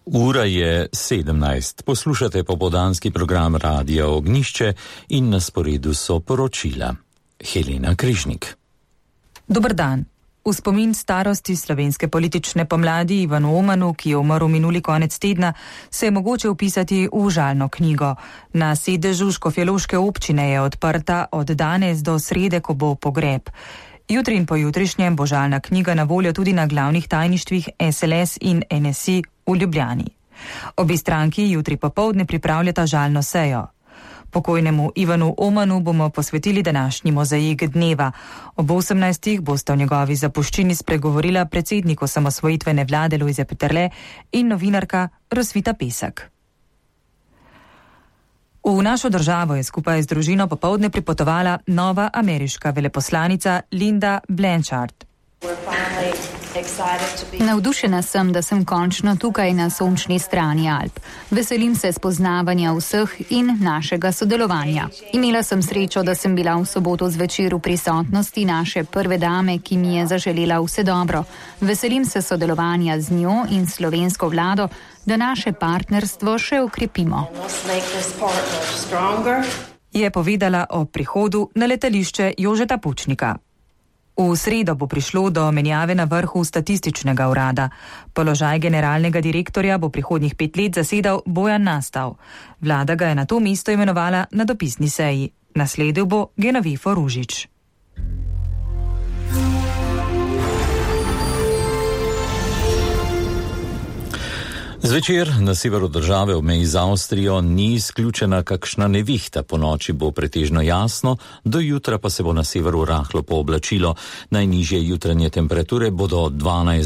Ura je 17. Poslušate popoldanski program Radia Ognjišče in na sporedu so poročila. Helena Križnik. Dober dan. V spomin starosti slovenske politične pomladi Ivanu Omanu, ki je umrl minuli konec tedna, se je mogoče vpisati v žalno knjigo. Na sedežu škofjeloške občine je odprta od danes do srede, ko bo pogreb. Jutri in pojutrišnjem bo žalna knjiga na voljo tudi na glavnih tajništvih SLS in NSI v Ljubljani. Obi stranki jutri popoldne pripravljata žalno sejo. Pokojnemu Ivanu Omanu bomo posvetili današnji mozaik dneva. Ob 18. bosta v njegovi zapuščini spregovorila predsednik osamosvojitvene vlade Lojze Peterle in novinarka Rosvita Pesek. V našo državo je skupaj z družino popoldne pripotovala nova ameriška veleposlanica Linda Blanchard. Navdušena sem, da sem končno tukaj na sončni strani Alp. Veselim se spoznavanja vseh in našega sodelovanja. Imela sem srečo, da sem bila v soboto zvečer v prisotnosti naše prve dame, ki mi je zaželela vse dobro. Veselim se sodelovanja z njo in slovensko vlado, da naše partnerstvo še okrepimo. Je povedala o prihodu na letališče Jožeta Pučnika. V sredo bo prišlo do menjave na vrhu statističnega urada. Položaj generalnega direktorja bo prihodnjih 5 let zasedal Bojan Nastav. Vlada ga je na to mesto imenovala na dopisni seji. Nasledil bo Genovefo Ružič. Zvečer na severu države v meji z Avstrijo ni izključena kakšna nevihta. Po noči bo pretežno jasno, do jutra pa se bo na severu rahlo pooblačilo. Najnižje jutranje temperature bodo 12